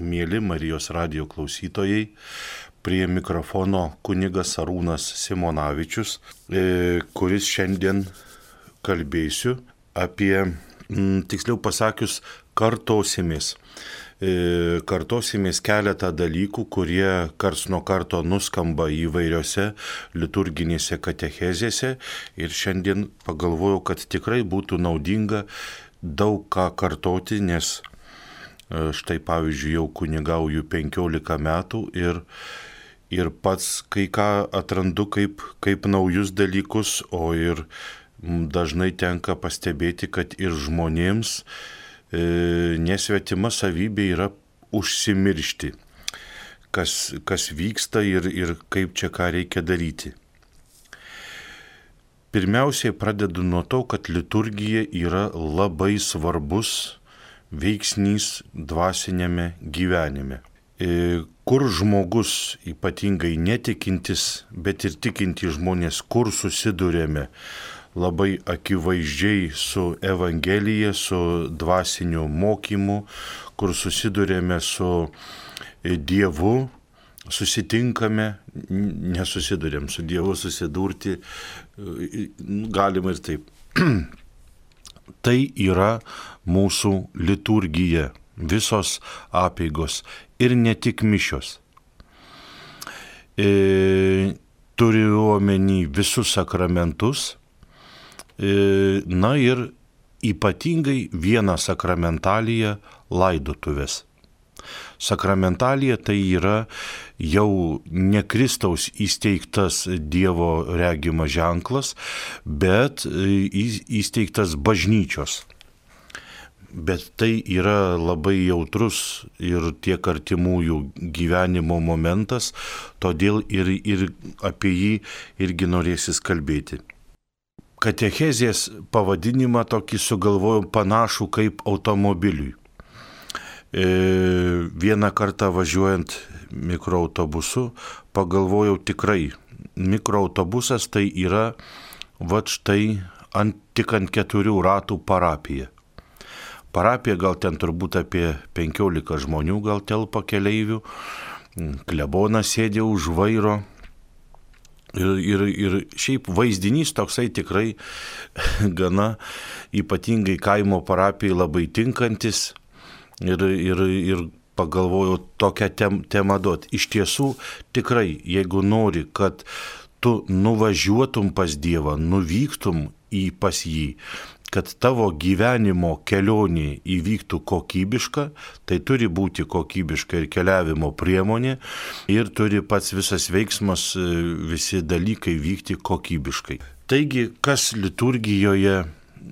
Mėly Marijos radijo klausytojai, prie mikrofono kunigas Arūnas Simonavičius, kuris šiandien kalbėsiu apie, tiksliau pasakius, kartosimės. Kartosimės keletą dalykų, kurie karts nuo karto nuskamba įvairiose liturginėse katechezėse ir šiandien pagalvojau, kad tikrai būtų naudinga daug ką kartoti, nes štai pavyzdžiui jau kunigauju 15 metų ir pats kai ką atrandu kaip naujus dalykus, o ir dažnai tenka pastebėti, kad ir žmonėms nesvetima savybė yra užsimiršti, kas vyksta ir kaip čia ką reikia daryti. Pirmiausiai pradedu nuo to, kad liturgija yra labai svarbus veiksnys dvasiniame gyvenime. Kur žmogus, ypatingai netikintis, bet ir tikinti žmonės, kur susidurėme labai akivaizdžiai su Evangelija, su dvasiniu mokymu, kur susidurėme su Dievu, susitinkame, nesusidurėm su Dievu, susidurti galima ir taip. Tai yra mūsų liturgija, visos apeigos ir ne tik mišios. Turiu omeny visus sakramentus, na ir ypatingai vieną sakramentaliją laidotuvės. Sakramentalija tai yra jau ne Kristaus įsteigtas Dievo regimas ženklas, bet įsteigtas bažnyčios. Bet tai yra labai jautrus ir tiek artimųjų gyvenimo momentas, todėl ir apie jį irgi norėsis kalbėti. Katechezės pavadinimą tokį sugalvojau panašų kaip automobiliui. Vieną kartą važiuojant mikroautobusu pagalvojau tikrai, mikroautobusas tai yra štai tik ant 4 ratų parapija. Parapija gal ten turbūt apie 15 žmonių gal telpa keleivių, klebonas sėdė už vairo. Ir šiaip vaizdinys toksai tikrai gana ypatingai kaimo parapijai labai tinkantis ir pagalvojau tokią temą duoti. Iš tiesų tikrai, jeigu nori, kad tu nuvažiuotum pas Dievą, nuvyktum pas jį, kad tavo gyvenimo kelionė įvyktų kokybiška, tai turi būti kokybiška ir keliavimo priemonė ir turi pats visas veiksmas, visi dalykai vykti kokybiškai. Taigi, kas liturgijoje,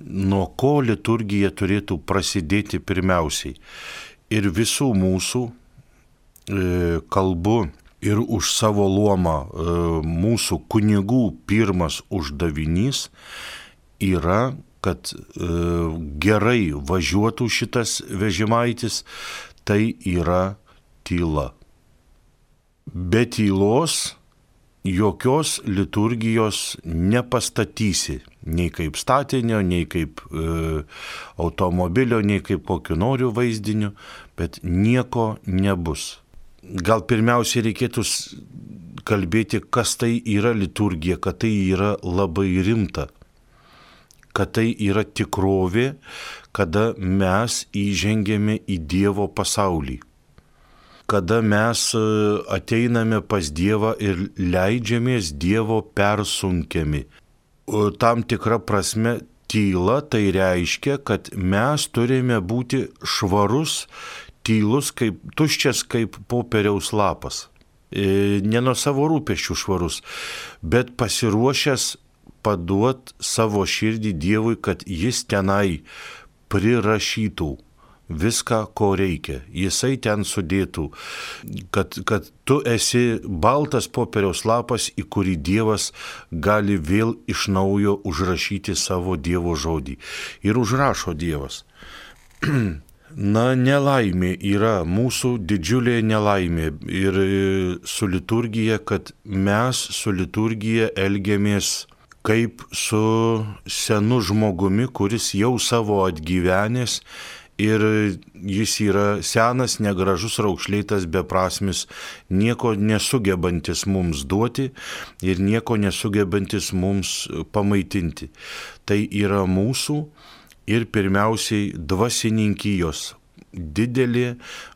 nuo ko liturgija turėtų prasidėti pirmiausiai? Ir visų mūsų kalbu ir už savo luomą mūsų kunigų pirmas uždavinys yra, kad gerai važiuotų šitas vežimaitis, tai yra tyla. Be tylos jokios liturgijos nepastatysi, nei kaip statinio, nei kaip automobilio, nei kaip kokiu noriu vaizdiniu, bet nieko nebus. Gal pirmiausiai reikėtų kalbėti, kas tai yra liturgija, kad tai yra labai rimta, kad tai yra tikrovė, kada mes įžengėme į Dievo pasaulį, kada mes ateiname pas Dievą ir leidžiamės Dievo persunkiami. Tam tikra prasme tyla tai reiškia, kad mes turime būti švarus, tylus, tuščias kaip popieriaus lapas. Ne nuo savo rūpesčių švarus, bet pasiruošęs paduot savo širdį Dievui, kad jis tenai prirašytų viską, ko reikia. Jisai ten sudėtų, kad tu esi baltas popieriaus lapas, į kurį Dievas gali vėl iš naujo užrašyti savo Dievo žodį. Ir užrašo Dievas. Na, nelaimė yra mūsų didžiulė nelaimė ir su liturgija, kad mes su liturgija elgiamės kaip su senu žmogumi, kuris jau savo atgyvenęs ir jis yra senas, negražus, raukšlėtas, beprasmis, nieko nesugebantis mums duoti ir nieko nesugebantis mums pamaitinti. Tai yra mūsų ir pirmiausiai dvasininkijos didelė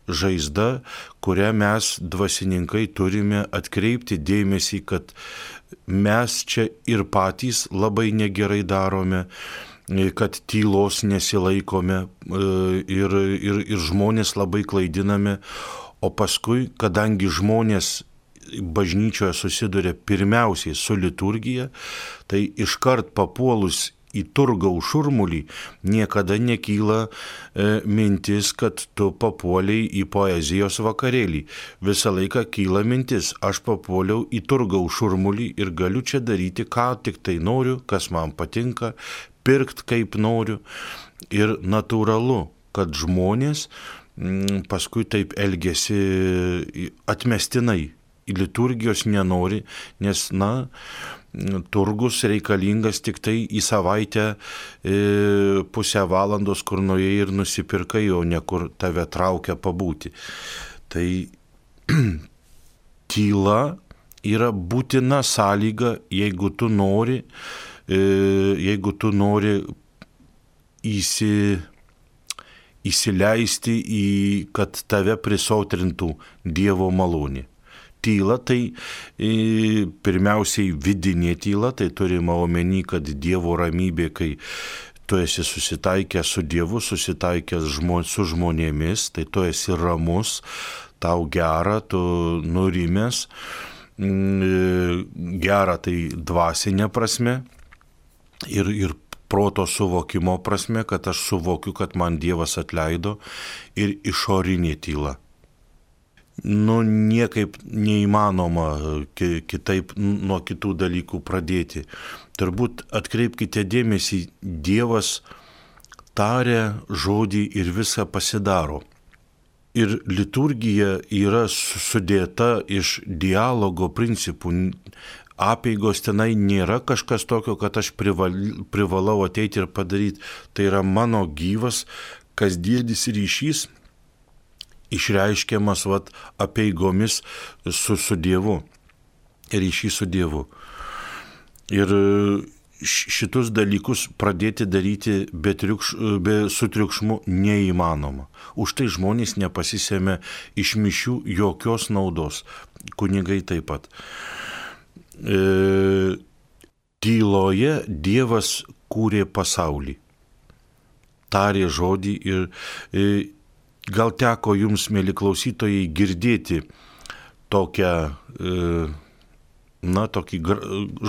žaizda, kurią mes dvasininkai turime atkreipti dėmesį, kad mes čia ir patys labai negerai darome, kad tylos nesilaikome ir žmonės labai klaidiname, o paskui, kadangi žmonės bažnyčioje susiduria pirmiausiai su liturgija, tai iškart papuolus į turgaus šurmulį niekada nekyla mintis, kad tu papuoliai į poezijos vakarėlį. Visą laiką kyla mintis, aš papuoliau į turgaus šurmulį ir galiu čia daryti, ką tik tai noriu, kas man patinka, pirkt kaip noriu. Ir natūralu, kad žmonės paskui taip elgesi atmestinai, į liturgijos nenori, nes, turgus reikalingas tik tai į savaitę pusę valandos, kur nuėjai ir nusipirkai, o ne kur tave traukia pabūti. Tai tyla yra būtina sąlyga, jeigu tu nori įsileisti kad tave prisotrintų Dievo malonė. Tyla tai pirmiausiai vidinė tyla, tai turima omeny, kad Dievo ramybė, kai tu esi susitaikęs su Dievu, susitaikęs su žmonėmis, tai tu esi ramus, tau gera, tu nurimęs, gera tai dvasinė prasme ir proto suvokimo prasme, kad aš suvokiu, kad man Dievas atleido, ir išorinė tyla. Niekaip neįmanoma kitaip nuo kitų dalykų pradėti. Turbūt atkreipkite dėmesį, Dievas taria žodį ir viską pasidaro. Ir liturgija yra sudėta iš dialogo principų. Apeigos tenai nėra kažkas tokio, kad aš privalau ateiti ir padaryti. Tai yra mano gyvas, kasdienis ryšys, išreiškiamas apeigomis su Dievu, ryšys su Dievu. Ir šitus dalykus pradėti daryti su triukšmu neįmanoma. Už tai žmonės nepasisėmė iš mišių jokios naudos, kunigai taip pat. Tyloje Dievas kūrė pasaulį, tarė žodį ir gal teko jums, mėly klausytojai, girdėti tokį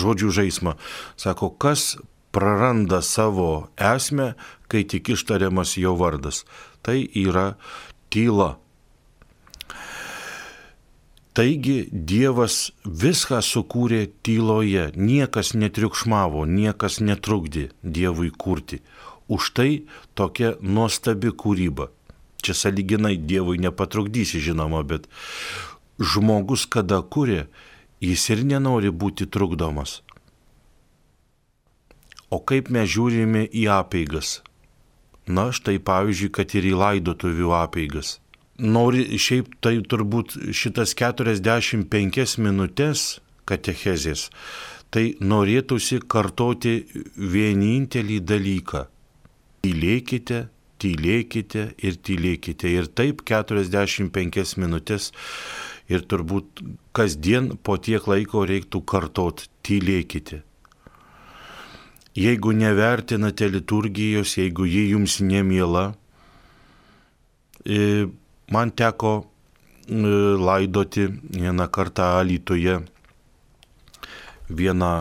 žodžių žaismą. Sako, kas praranda savo esmę, kai tik ištariamas jo vardas. Tai yra tyla. Taigi Dievas viską sukūrė tyloje, niekas netriukšmavo, niekas netrukdė Dievui kurti. Už tai tokia nuostabi kūryba. Čia sąlyginai Dievui nepatrukdysi, žinoma, bet žmogus, kada kuria, jis ir nenori būti trukdomas. O kaip mes žiūrime į apeigas? Štai pavyzdžiui, kad ir į laidotuvių apeigas. Šiaip tai turbūt šitas 45 minutės katechezės, tai norėtųsi kartoti vienintelį dalyką. Tylėkite, tylėkite ir tylėkite. Ir taip 45 minutės ir turbūt kasdien po tiek laiko reiktų kartot tylėkite. Jeigu nevertinate liturgijos, jeigu ji jums nemiela, man teko laidoti vieną kartą Alytuje vieną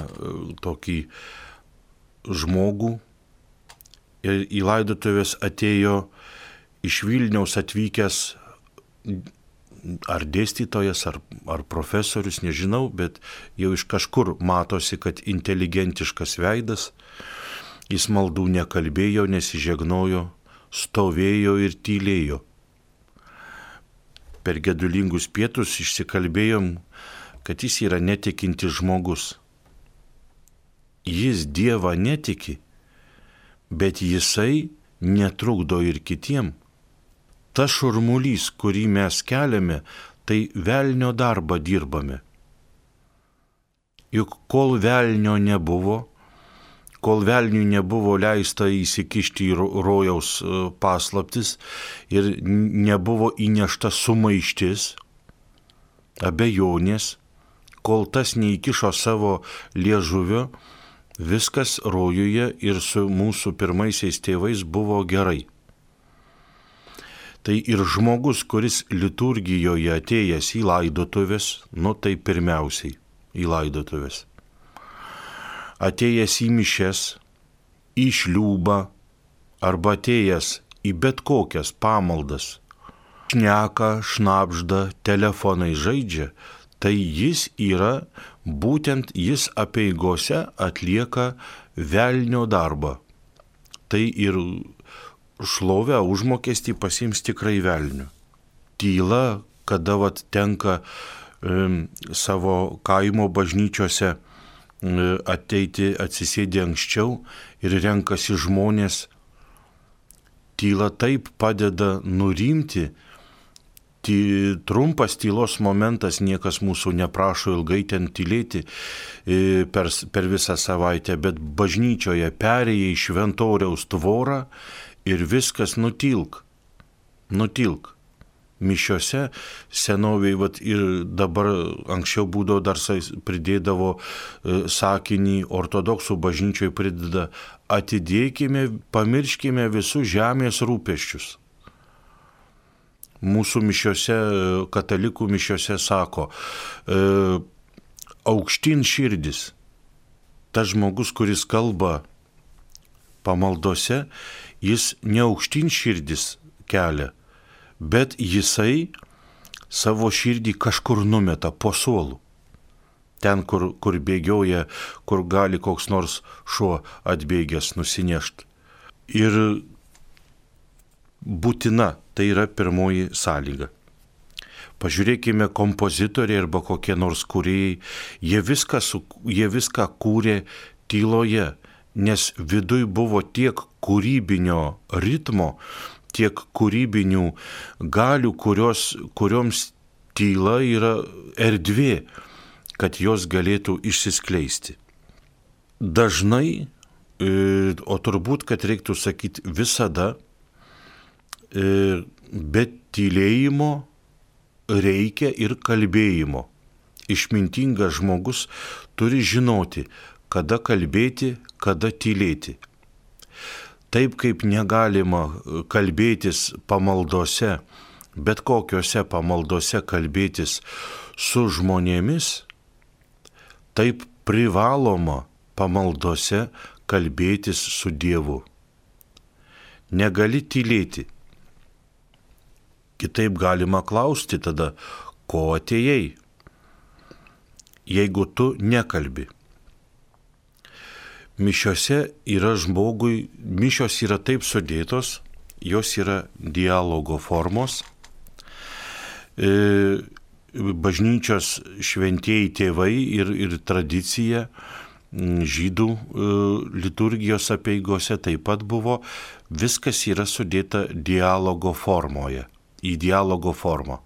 tokį žmogų. Ir į laidotuvės atėjo iš Vilniaus atvykęs ar dėstytojas, ar profesorius, nežinau, bet jau iš kažkur matosi, kad inteligentiškas veidas. Jis maldų nekalbėjo, nesižegnojo, stovėjo ir tylėjo. Per gedulingus pietus išsikalbėjom, kad jis yra netikintis žmogus. Jis Dievą netiki, bet jisai netrukdo ir kitiem tas šurmulys, kurį mes keliame, tai velnio darbą dirbame. Juk kol velnio nebuvo, kol velniui nebuvo leista įsikišti į rojaus paslaptis ir nebuvo įnešta sumaištis, abejonės, kol tas neįkišo savo liežuvio, viskas rojuje ir su mūsų pirmaisiais tėvais buvo gerai. Tai ir žmogus, kuris liturgijoje atėjęs į laidotuvės, tai pirmiausiai į laidotuvės, atėjęs į mišes, į šliūbą arba atėjęs į bet kokias pamaldas, šneka, šnabžda, telefonai žaidžia, tai jis yra, būtent jis apeigose atlieka velnio darbą. Tai ir šlovę užmokestį pasiims tikrai velniu. Tyla, kada tenka savo kaimo bažnyčiose ateiti, atsisėdi anksčiau ir renkasi žmonės, tyla taip padeda nurimti. Trumpas tylos momentas, niekas mūsų neprašo ilgai ten tylėti per visą savaitę, bet bažnyčioje perėjai šventoriaus tvorą ir viskas nutilk. Mišiose senoviai ir dabar anksčiau būdavo dar pridėdavo sakinį, ortodoksų bažnyčioje prideda: atidėkime, pamirškime visus žemės rūpesčius. Mūsų mišiose, katalikų mišiose sako, aukštyn širdis. Tas žmogus, kuris kalba pamaldose, jis ne aukštyn širdis kelia, bet jisai savo širdį kažkur numeta po suolų. Ten, kur bėgioja, kur gali koks nors šuo atbėgęs nusinešti. Ir būtina, tai yra pirmoji sąlyga. Pažiūrėkime, kompozitoriai arba kokie nors kūrėjai, jie viską kūrė tyloje, nes viduj buvo tiek kūrybinio ritmo, tiek kūrybinių galių, kurioms tyla yra erdvė, kad jos galėtų išsiskleisti. Dažnai, o turbūt, kad reiktų sakyti visada, bet tylėjimo reikia ir kalbėjimo. Išmintingas žmogus turi žinoti, kada kalbėti, kada tylėti. Taip kaip negalima kalbėtis pamaldose, bet kokiose pamaldose kalbėtis su žmonėmis, taip privaloma pamaldose kalbėtis su Dievu. Negali tylėti. Kitaip galima klausti tada, ko atėjai, jeigu tu nekalbi. Mišios yra taip sudėtos, jos yra dialogo formos. Bažnyčios šventieji tėvai ir tradicija žydų liturgijos apeigose taip pat buvo, viskas yra sudėta dialogo formoje. Į dialogo formą.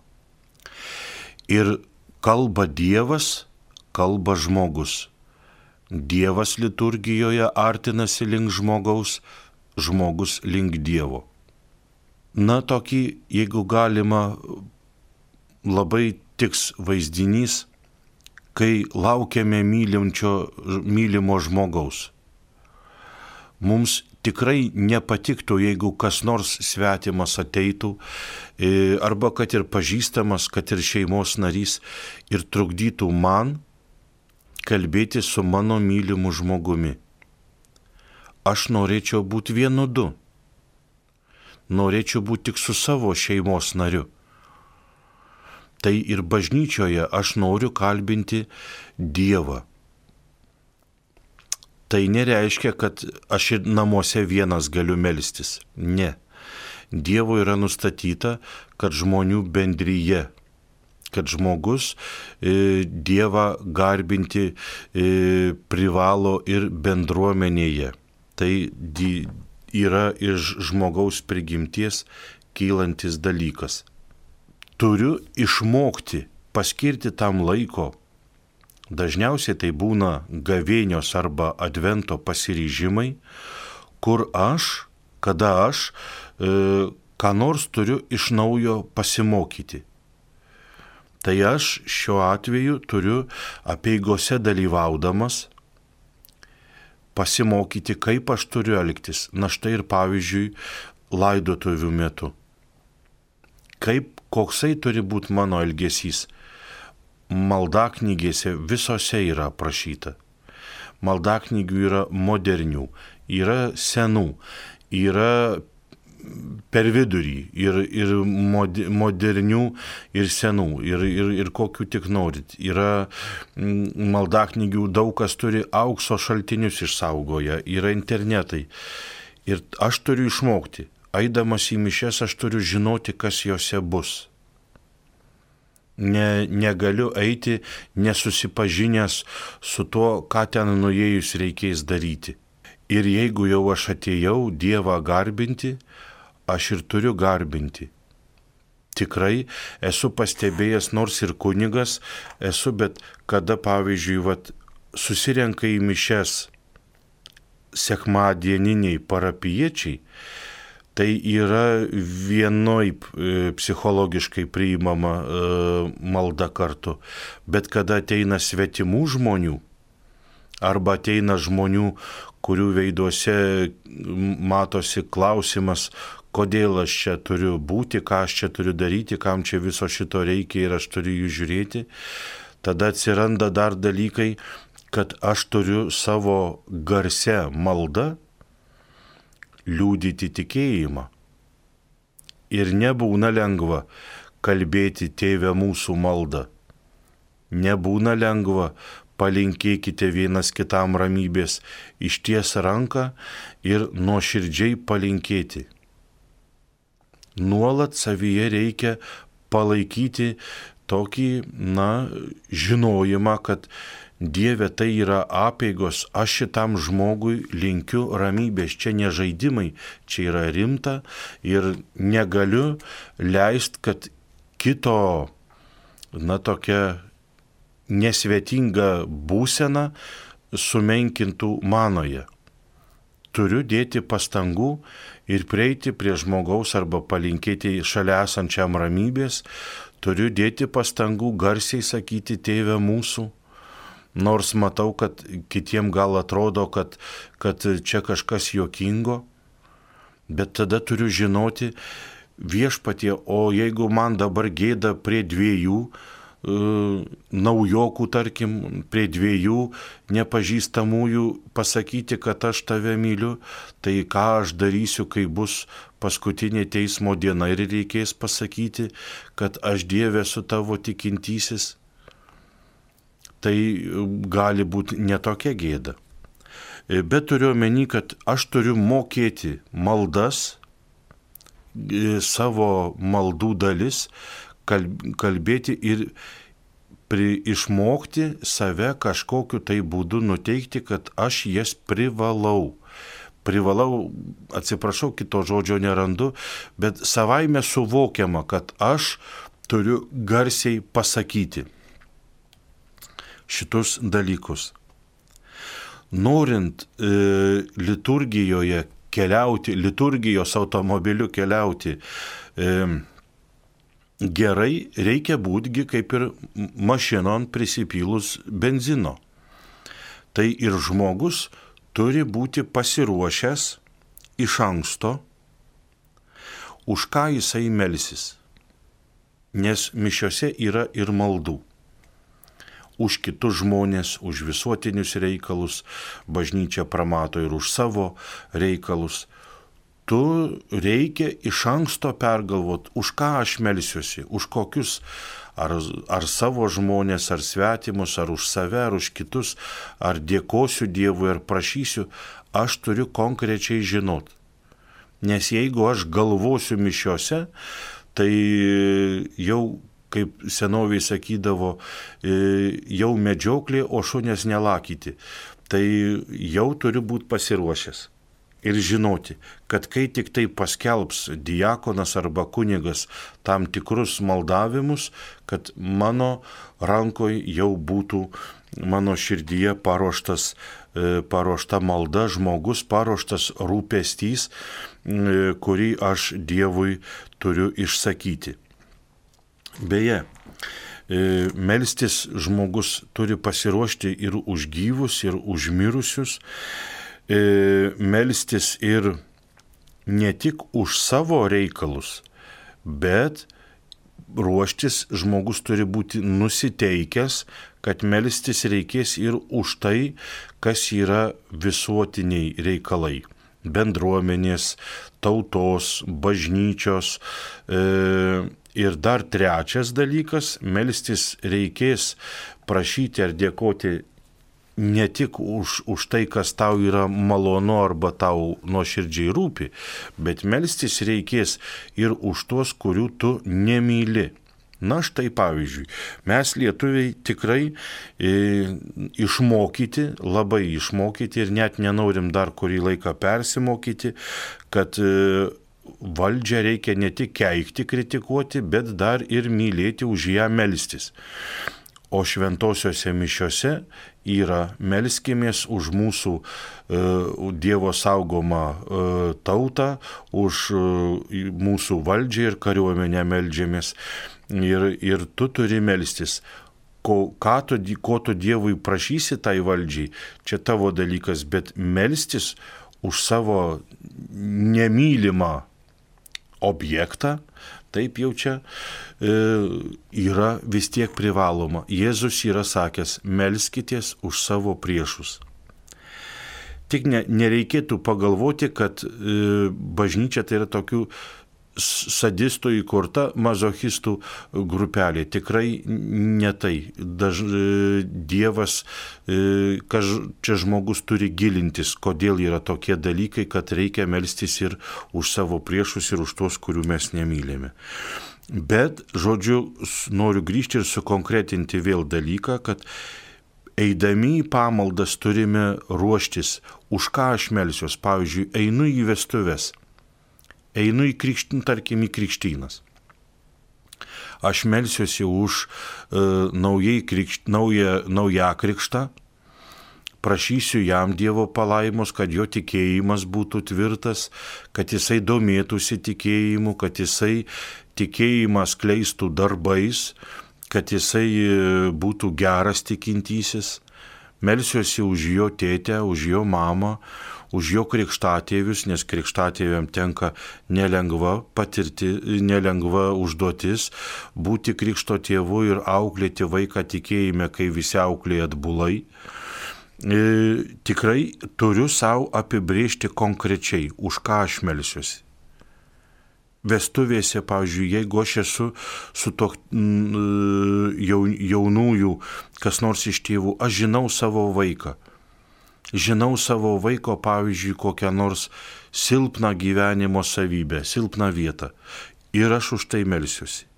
Ir kalba Dievas, kalba žmogus. Dievas liturgijoje artinasi link žmogaus, žmogus link Dievo. Tokį, jeigu galima, labai tiks vaizdinys, kai laukiame mylimo žmogaus. Mums tikrai nepatiktų, jeigu kas nors svetimas ateitų, arba kad ir pažįstamas, kad ir šeimos narys, ir trukdytų man kalbėti su mano mylimu žmogumi. Aš norėčiau būti vienodu. Norėčiau būti tik su savo šeimos nariu. Tai ir bažnyčioje aš noriu kalbinti Dievą. Tai nereiškia, kad aš ir namuose vienas galiu melstis. Ne. Dievo yra nustatyta, kad žmonių bendryje, kad žmogus Dievą garbinti privalo ir bendruomenėje. Tai yra iš žmogaus prigimties kylantis dalykas. Turiu išmokti paskirti tam laiko. Dažniausiai tai būna gavėnios arba advento pasiryžimai, kur kada aš ką nors turiu iš naujo pasimokyti. Tai aš šiuo atveju turiu apeigose dalyvaudamas pasimokyti, kaip aš turiu elgtis. Na štai ir pavyzdžiui, laidotuvių metu. Koksai turi būti mano elgesys. Maldaknygėse visose yra aprašyta. Maldaknygių yra modernių, yra senų, yra per vidurį ir modernių ir senų ir kokių tik norit. Yra maldaknygių, daug kas turi aukso šaltinius išsaugoję, yra internetai. Ir aš turiu išmokti. Eidamas į mišias aš turiu žinoti, kas jose bus. Negaliu eiti nesusipažinęs su tuo, ką ten nuėjus reikės daryti. Ir jeigu jau aš atėjau Dievą garbinti, aš ir turiu garbinti. Tikrai esu pastebėjęs, nors ir kunigas esu, bet kada, pavyzdžiui, susirenka į mišias sekmadieniniai parapijiečiai, tai yra vienaip psichologiškai priimama malda kartu. Bet kada ateina svetimų žmonių, arba ateina žmonių, kurių veiduose matosi klausimas, kodėl aš čia turiu būti, ką aš čia turiu daryti, kam čia viso šito reikia ir aš turiu jų žiūrėti, tada atsiranda dar dalykai, kad aš turiu savo garse maldą liudyti tikėjimą. Ir nebūna lengva kalbėti Tėve mūsų maldą. Nebūna lengva palinkėkite vienas kitam ramybės, išties ranką ir nuoširdžiai palinkėti. Nuolat savyje reikia palaikyti tokį, žinojimą, kad Dieve tai yra apeigos, aš šitam žmogui linkiu ramybės, čia ne žaidimai, čia yra rimta ir negaliu leisti, kad kito, tokia nesvetinga būsena sumenkintų manoje. Turiu dėti pastangų ir prieiti prie žmogaus arba palinkėti šalia esančiam ramybės, turiu dėti pastangų garsiai sakyti Tėve mūsų. Nors matau, kad kitiem gal atrodo, kad čia kažkas juokingo, bet tada turiu žinoti Viešpatie, o jeigu man dabar gėda prie dviejų naujokų, tarkim, prie dviejų nepažįstamųjų pasakyti, kad aš tave myliu, tai ką aš darysiu, kai bus paskutinė teismo diena ir reikės pasakyti, kad aš Dieve esu tavo tikintysis. Tai gali būti netokia gėda. Bet turiu omeny, kad aš turiu mokėti maldas, savo maldų dalis, kalbėti ir išmokti save kažkokiu tai būdu nuteikti, kad aš jas privalau. Privalau, atsiprašau, kito žodžio nerandu, bet savaime suvokiama, kad aš turiu garsiai pasakyti šitus dalykus. Norint liturgijoje keliauti, liturgijos automobiliu keliauti gerai, reikia būtgi kaip ir mašinon prisipylus benzino. Tai ir žmogus turi būti pasiruošęs iš anksto, už ką jisai melsis. Nes mišiose yra ir maldų. Už kitus žmonės, už visuotinius reikalus, bažnyčia pramato ir už savo reikalus. Tu reikia iš anksto pergalvoti, už ką aš melsiuosi, už kokius, ar savo žmonės, ar svetimus, ar už save, ar už kitus, ar dėkosiu Dievui, ar prašysiu, aš turiu konkrečiai žinot. Nes jeigu aš galvosiu mišiose, tai jau, kaip senoviai sakydavo, jau medžioklė, o šunės nelakyti. Tai jau turiu būti pasiruošęs. ir žinoti, kad kai tik tai paskelbs diakonas arba kunigas tam tikrus maldavimus, kad mano rankoje jau būtų mano širdyje paruošta malda, žmogus paruoštas rūpestys, kurį aš Dievui turiu išsakyti. Beje, melstis žmogus turi pasiruošti ir už gyvus, ir už mirusius, melstis ir ne tik už savo reikalus, bet ruoštis žmogus turi būti nusiteikęs, kad melstis reikės ir už tai, kas yra visuotiniai reikalai. Bendruomenės, tautos, bažnyčios. Ir dar trečias dalykas, melstis reikės prašyti ar dėkoti ne tik už tai, kas tau yra malonu arba tau nuoširdžiai rūpi, bet melstis reikės ir už tuos, kurių tu nemyli. Na štai pavyzdžiui, mes lietuviai tikrai išmokyti, labai išmokyti ir net nenorim dar kurį laiką persimokyti, kad valdžią reikia ne tik keikti, kritikuoti, bet dar ir mylėti, už ją melstis. O šventosiuose mišiuose yra melskimės už mūsų Dievo saugomą tautą, už mūsų valdžią ir kariuomenę meldžiamės. Ir tu turi melstis. Ko tu Dievui prašysi tai valdžiai, čia tavo dalykas, bet melstis už savo nemylimą objektą, taip jau čia yra vis tiek privaloma. Jėzus yra sakęs, melskitės už savo priešus. Tik nereikėtų pagalvoti, kad bažnyčia tai yra tokių sadistų įkurta mazochistų grupelė. Tikrai ne tai. Dievas, čia žmogus turi gilintis, kodėl yra tokie dalykai, kad reikia melstis ir už savo priešus ir už tuos, kurių mes nemylime. Bet, žodžiu, noriu grįžti ir sukonkretinti vėl dalyką, kad eidami į pamaldas turime ruoštis, už ką aš melsiuos. Pavyzdžiui, einu į vestuves. Einu į krikštynas. Aš melsiuosi už naują krikštą, prašysiu jam Dievo palaimos, kad jo tikėjimas būtų tvirtas, kad jisai domėtųsi tikėjimu, kad jisai tikėjimą skleistų darbais, kad jisai būtų geras tikintysis. Melsiuosi už jo tėtę, už jo mamą, už jo krikštatėvius, nes krikštatėviam tenka nelengva užduotis būti krikšto tėvu ir auklėti vaiką tikėjime, kai visi auklėja atbulai. Tikrai turiu savo apibrėžti konkrečiai, už ką aš melsiuosi. Vestuvėse, pavyzdžiui, jeigu aš esu su to jaunųjų, kas nors iš tėvų, aš žinau savo vaiką. Žinau savo vaiko, pavyzdžiui, kokią nors silpną gyvenimo savybę, silpną vietą. Ir aš už tai melsiuosi.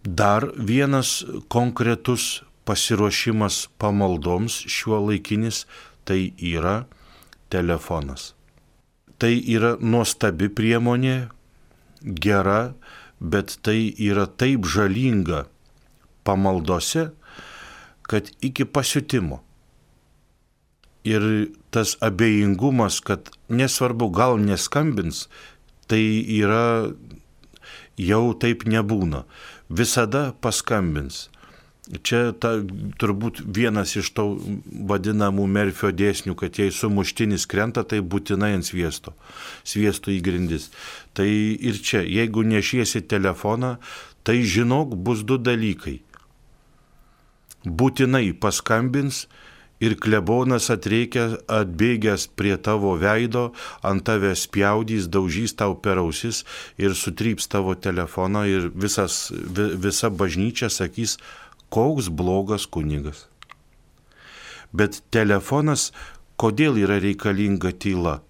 Dar vienas konkretus pasiruošimas pamaldoms šiuolaikinis, tai yra telefonas. Tai yra nuostabi priemonė, gera, bet tai yra taip žalinga pamaldose, kad iki pasiutimo. Ir tas abejingumas, kad nesvarbu, gal neskambins, tai yra jau taip nebūna. Visada paskambins. Čia turbūt vienas iš to vadinamų Merfio dėsnių, kad jei sumuštinis krenta, tai būtinai ant sviesto į grindis. Tai ir čia, jeigu nešiesi telefoną, tai žinok, bus du dalykai. Būtinai paskambins ir klebonas atbėgęs prie tavo veido, ant tave spjaudys, daužys tau per ausis ir sutryps tavo telefoną ir visa bažnyčia sakys, koks blogas kunigas. Bet telefonas, kodėl yra reikalinga tyla?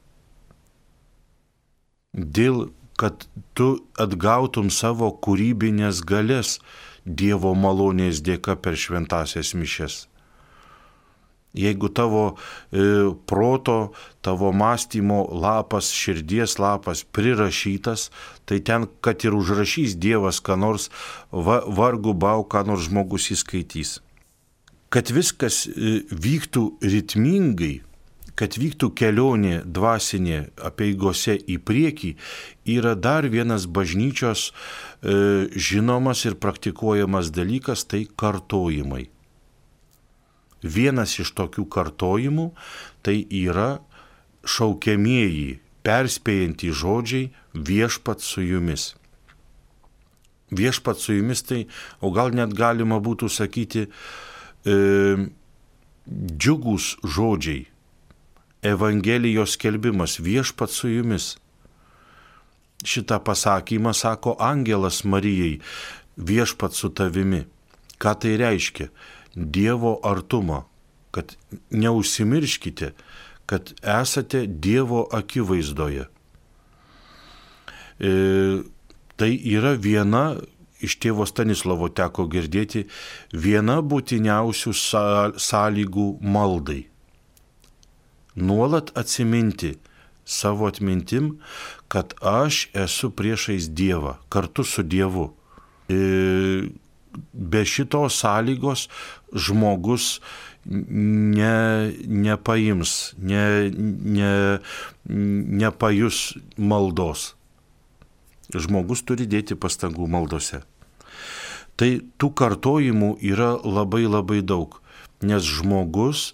Dėl, kad tu atgautum savo kūrybinės galės Dievo malonės dėka per šventąsias mišias. Jeigu tavo proto, tavo mąstymo lapas, širdies lapas prirašytas, tai ten, kad ir užrašys Dievas, ką nors vargu bau, ką nors žmogus įskaitys. Kad viskas vyktų ritmingai, kad vyktų kelionė dvasinė apeigose į priekį, yra dar vienas bažnyčios žinomas ir praktikuojamas dalykas, tai kartojimai. Vienas iš tokių kartojimų tai yra šaukiamieji, perspėjantys žodžiai viešpat su jumis. Viešpat su jumis tai, o gal net galima būtų sakyti, džiugūs žodžiai, Evangelijos skelbimas, viešpat su jumis. Šitą pasakymą sako angelas Marijai, viešpat su tavimi. Ką tai reiškia? Dievo artumą, kad neužsimirškite, kad esate Dievo akivaizdoje. Tai yra viena, iš tėvo Stanislovo teko girdėti, viena būtiniausių sąlygų maldai. Nuolat atsiminti savo atmintim, kad aš esu priešais Dievą, kartu su Dievu. Be šitos sąlygos žmogus nepaims, nepajus maldos. Žmogus turi dėti pastangų maldose. Tai tų kartojimų yra labai labai daug, nes žmogus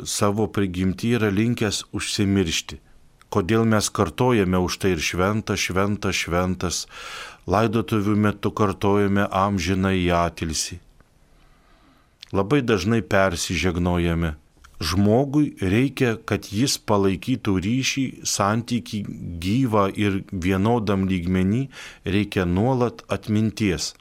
savo prigimtį yra linkęs užsimiršti. Kodėl mes kartojame už tai ir šventas, šventas, šventas, laidotuvių metu kartojame amžinąjį atilsį. Labai dažnai persižegnojame. Žmogui reikia, kad jis palaikytų ryšį, santykį gyvą ir vienodam lygmenį, reikia nuolat atminties.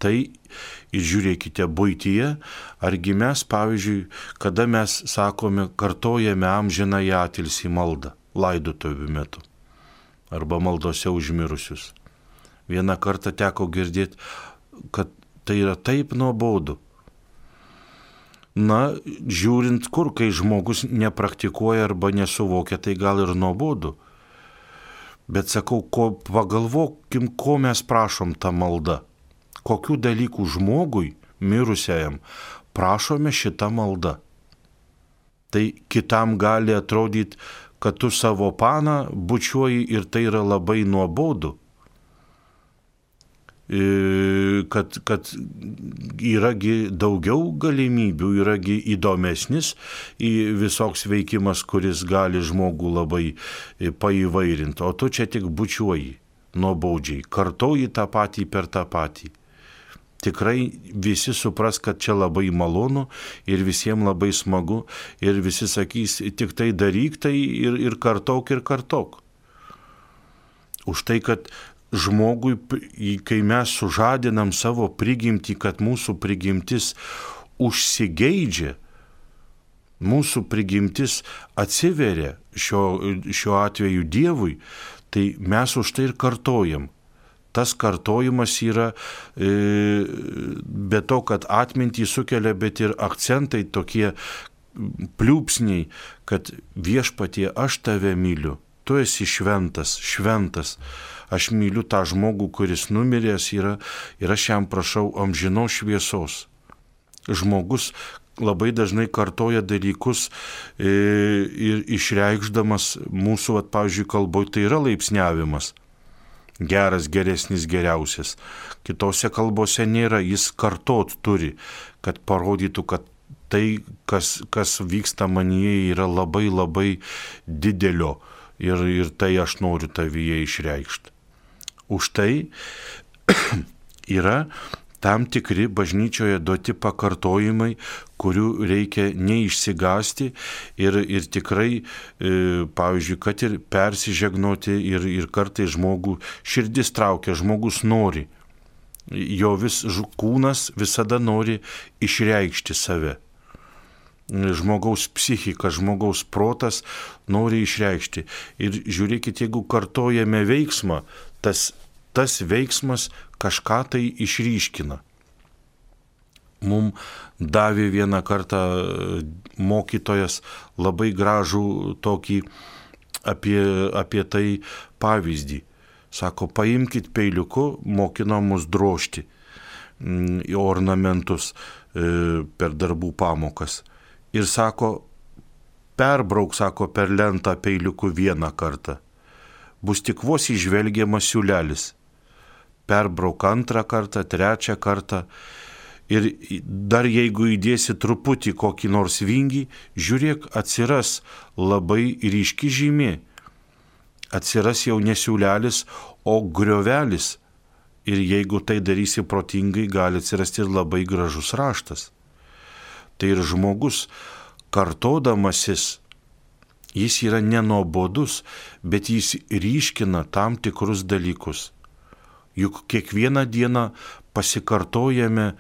Tai ir žiūrėkite buityje, argi mes, pavyzdžiui, kada mes sakome, kartojame amžinąjį atilsį maldą laidotuvių metu arba maldose užmirusius. Vieną kartą teko girdėti, kad tai yra taip nuobodu. Na, žiūrint kur, kai žmogus nepraktikuoja arba nesuvokia, tai gal ir nuobodu. Bet sakau, pagalvokim, ko mes prašom tą maldą. Kokių dalykų žmogui, mirusiajam, prašome šitą maldą. Tai kitam gali atrodyti, kad tu savo paną bučiuoji ir tai yra labai nuobodu. Kad yragi daugiau galimybių, yragi įdomesnis visoks veikimas, kuris gali žmogų labai paįvairinti, o tu čia tik bučiuoji nuobaudžiai, kartoji tą patį per tą patį. Tikrai visi supras, kad čia labai malonu ir visiems labai smagu ir visi sakys, tik tai daryk tai ir kartok ir kartok. Už tai, kad žmogui, kai mes sužadinam savo prigimtį, kad mūsų prigimtis užsigeidžia, mūsų prigimtis atsiveria šiuo atveju Dievui, tai mes už tai ir kartojam. Tas kartojimas yra be to, kad atmintį sukelia, bet ir akcentai tokie pliūpsniai, kad viešpatie, aš tave myliu, tu esi šventas, šventas. Aš myliu tą žmogų, kuris numiręs yra ir aš jam prašau amžinos šviesos. Žmogus labai dažnai kartoja dalykus ir išreikšdamas mūsų, pavyzdžiui, kalboje tai yra laipsniavimas. Geras, geresnis, geriausias. Kitose kalbose nėra, jis kartot turi, kad parodytų, kad tai, kas vyksta manyje, yra labai labai didelio ir tai aš noriu tavyje išreikšti. Už tai yra tam tikri bažnyčioje duoti pakartojimai, kurių reikia neišsigąsti ir tikrai, pavyzdžiui, kad ir persižegnoti ir kartais žmogų širdis traukia, žmogus nori. Jo kūnas visada nori išreikšti save. Žmogaus psichika, žmogaus protas nori išreikšti. Ir žiūrėkit, jeigu kartojame veiksmą, tas veiksmas kažką tai išryškina. Mums davė vieną kartą mokytojas labai gražų tokį apie tai pavyzdį. Sako, paimkit peiliuku, mokino mus drožti į ornamentus per darbų pamokas. Ir sako, perbrauk, sako, per lentą peiliuku vieną kartą. Bus tik vos įžvelgiamas siūlelis. Perbrauk antrą kartą, trečią kartą. Ir dar jeigu įdėsi truputį kokį nors vingį, žiūrėk, atsiras labai ryški žymė. Atsiras jau ne siūlelis, o griovelis. Ir jeigu tai darysi protingai, gali atsirasti ir labai gražus raštas. Tai ir žmogus, kartodamasis, jis yra nenuobodus, bet jis ryškina tam tikrus dalykus. Juk kiekvieną dieną pasikartojame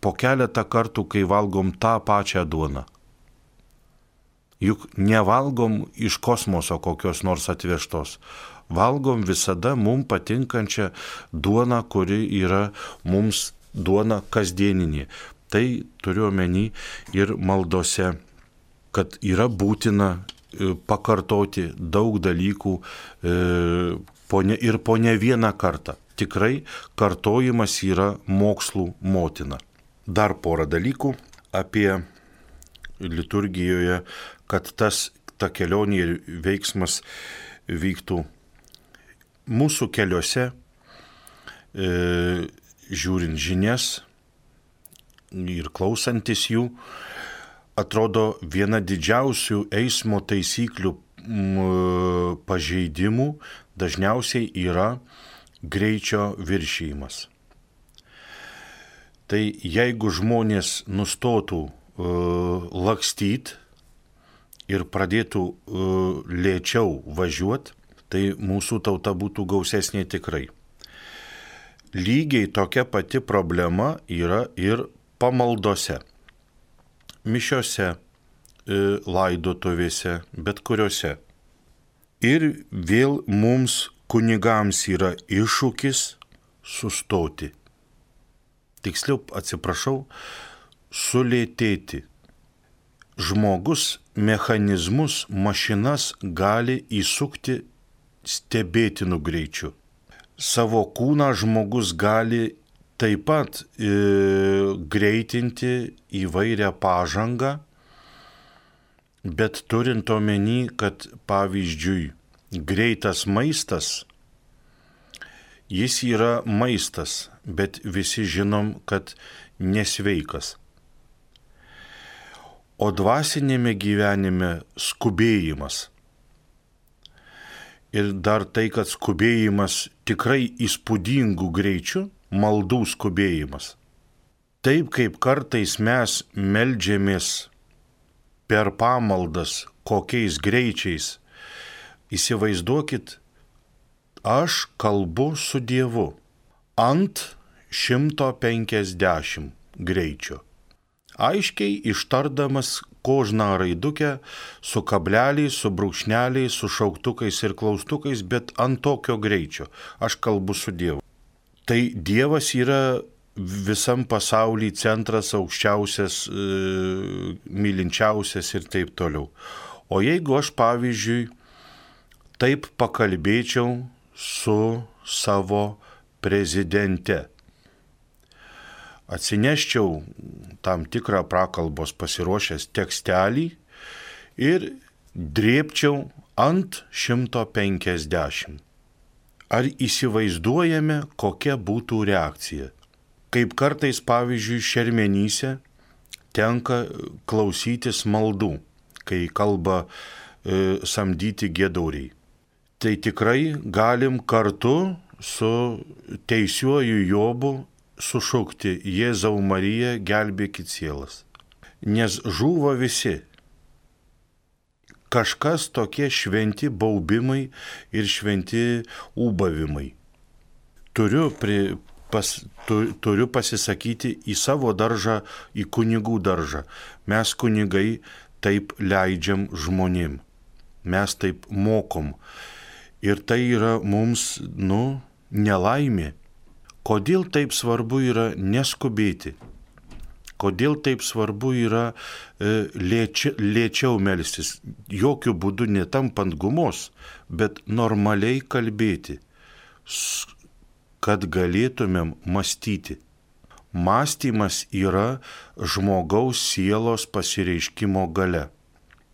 po keletą kartų, kai valgom tą pačią duoną. Juk nevalgom iš kosmoso kokios nors atvežtos. Valgom visada mums patinkančią duoną, kuri yra mums duona kasdieninė. Tai turiu omeny ir maldose, kad yra būtina pakartoti daug dalykų ir po ne vieną kartą. Tikrai kartojimas yra mokslų motina. Dar porą dalykų apie liturgijoje, kad ta kelionė ir veiksmas vyktų mūsų keliuose, žiūrint žinias ir klausantis jų, atrodo viena didžiausių eismo taisyklių pažeidimų dažniausiai yra greičio viršijimas. Tai jeigu žmonės nustotų lakstyti ir pradėtų lėčiau važiuoti, tai mūsų tauta būtų gausesnė tikrai. Lygiai tokia pati problema yra ir pamaldose, mišiose, laidotuvėse, bet kuriuose. Ir vėl mums kunigams yra iššūkis sustoti. Tiksliau, atsiprašau, sulėtėti. Žmogus mechanizmus, mašinas gali įsukti stebėtinu greičiu. Savo kūną žmogus gali taip pat greitinti įvairią pažangą, bet turint omeny, kad pavyzdžiui, greitas maistas, jis yra maistas, bet visi žinom, kad nesveikas. O dvasinėme gyvenime skubėjimas. Ir dar tai, kad skubėjimas tikrai įspūdingų greičių, maldų skubėjimas. Taip kaip kartais mes meldžiamės per pamaldas kokiais greičiais, įsivaizduokit, aš kalbu su Dievu ant 150 greičio. Aiškiai ištardamas kožną raidukę su kableliais, su brūkšneliais, su šauktukais ir klaustukais, bet ant tokio greičio. Aš kalbu su Dievu. Tai Dievas yra visam pasaulyje centras, aukščiausias, mylinčiausias ir taip toliau. O jeigu aš, pavyzdžiui, taip pakalbėčiau su savo prezidente, atsineščiau tam tikrą prakalbos pasiruošęs tekstelį ir drėbčiau ant 150. Ar įsivaizduojame, kokia būtų reakcija? Kaip kartais, pavyzdžiui, šermenyse tenka klausytis maldų, kai kalba samdyti giedoriai. Tai tikrai galim kartu su teisiuoju Jobu sušukti: Jėzau Marija, gelbėkit sielas. Nes žūva visi. Kažkas tokie šventi baubimai ir šventi ūbavimai. Turiu pasisakyti į savo daržą, į kunigų daržą. Mes kunigai taip leidžiam žmonėm. Mes taip mokom. Ir tai yra mums, nelaimė. Kodėl taip svarbu yra neskubėti? Kodėl taip svarbu yra lėčiau melstis, jokių būdų netampant gumos, bet normaliai kalbėti, kad galėtumėm mąstyti. Mąstymas yra žmogaus sielos pasireiškimo galia.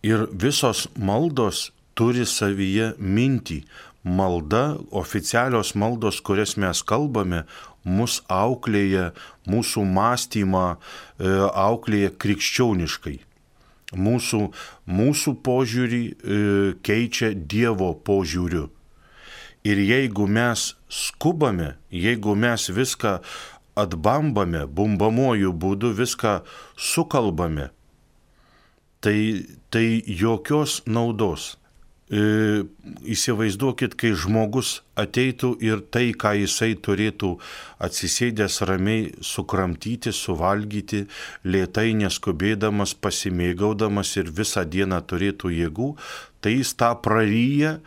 Ir visos maldos turi savyje mintį. Malda, oficialios maldos, kurias mes kalbame, mus auklėja, mūsų mąstymą auklėja krikščioniškai. Mūsų požiūrį keičia Dievo požiūriu. Ir jeigu mes skubame, jeigu mes viską atbambame, bumbamuoju būdu viską sukalbame, tai jokios naudos. Įsivaizduokit, kai žmogus ateitų ir tai, ką jisai turėtų atsisėdęs ramiai sukramtyti, suvalgyti, lėtai neskubėdamas, pasimėgaudamas ir visą dieną turėtų jėgų, tai jis tą praryja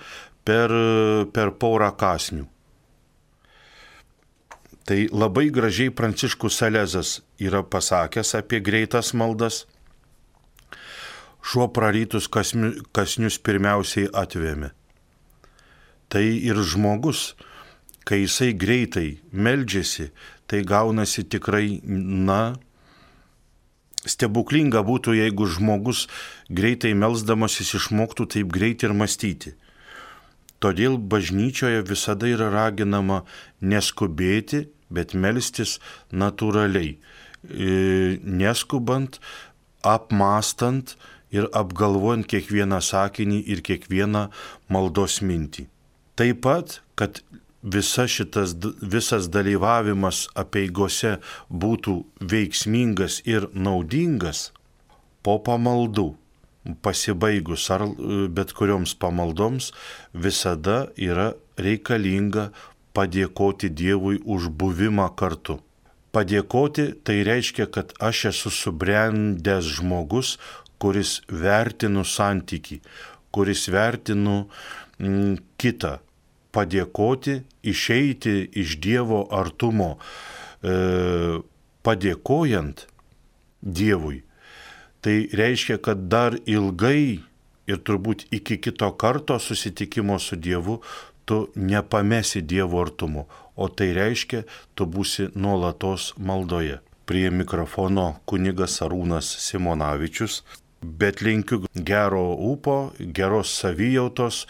per porą kąsnių. Tai labai gražiai Pranciškus Salezas yra pasakęs apie greitas maldas. Šuo prarytus kąsnius pirmiausiai atvėmė. Tai ir žmogus, kai jisai greitai meldžiasi, tai gaunasi tikrai, stebuklinga būtų, jeigu žmogus greitai melsdamasis išmoktų taip greit ir mąstyti. Todėl bažnyčioje visada yra raginama neskubėti, bet melstis natūraliai, neskubant, apmąstant ir apgalvojant kiekvieną sakinį ir kiekvieną maldos mintį. Taip pat, kad visas dalyvavimas apeigose būtų veiksmingas ir naudingas, po pamaldų, pasibaigus ar bet kurioms pamaldoms, visada yra reikalinga padėkoti Dievui už buvimą kartu. Padėkoti tai reiškia, kad aš esu subrendęs žmogus, kuris vertinu santykį, kuris vertinu kitą. Padėkoti, išeiti iš Dievo artumo, padėkojant Dievui. Tai reiškia, kad dar ilgai ir turbūt iki kito karto susitikimo su Dievu tu nepamesi Dievo artumo, o tai reiškia, tu būsi nuolatos maldoje. Prie mikrofono kunigas Arūnas Simonavičius, bet linkiu gero ūpo, geros savijautos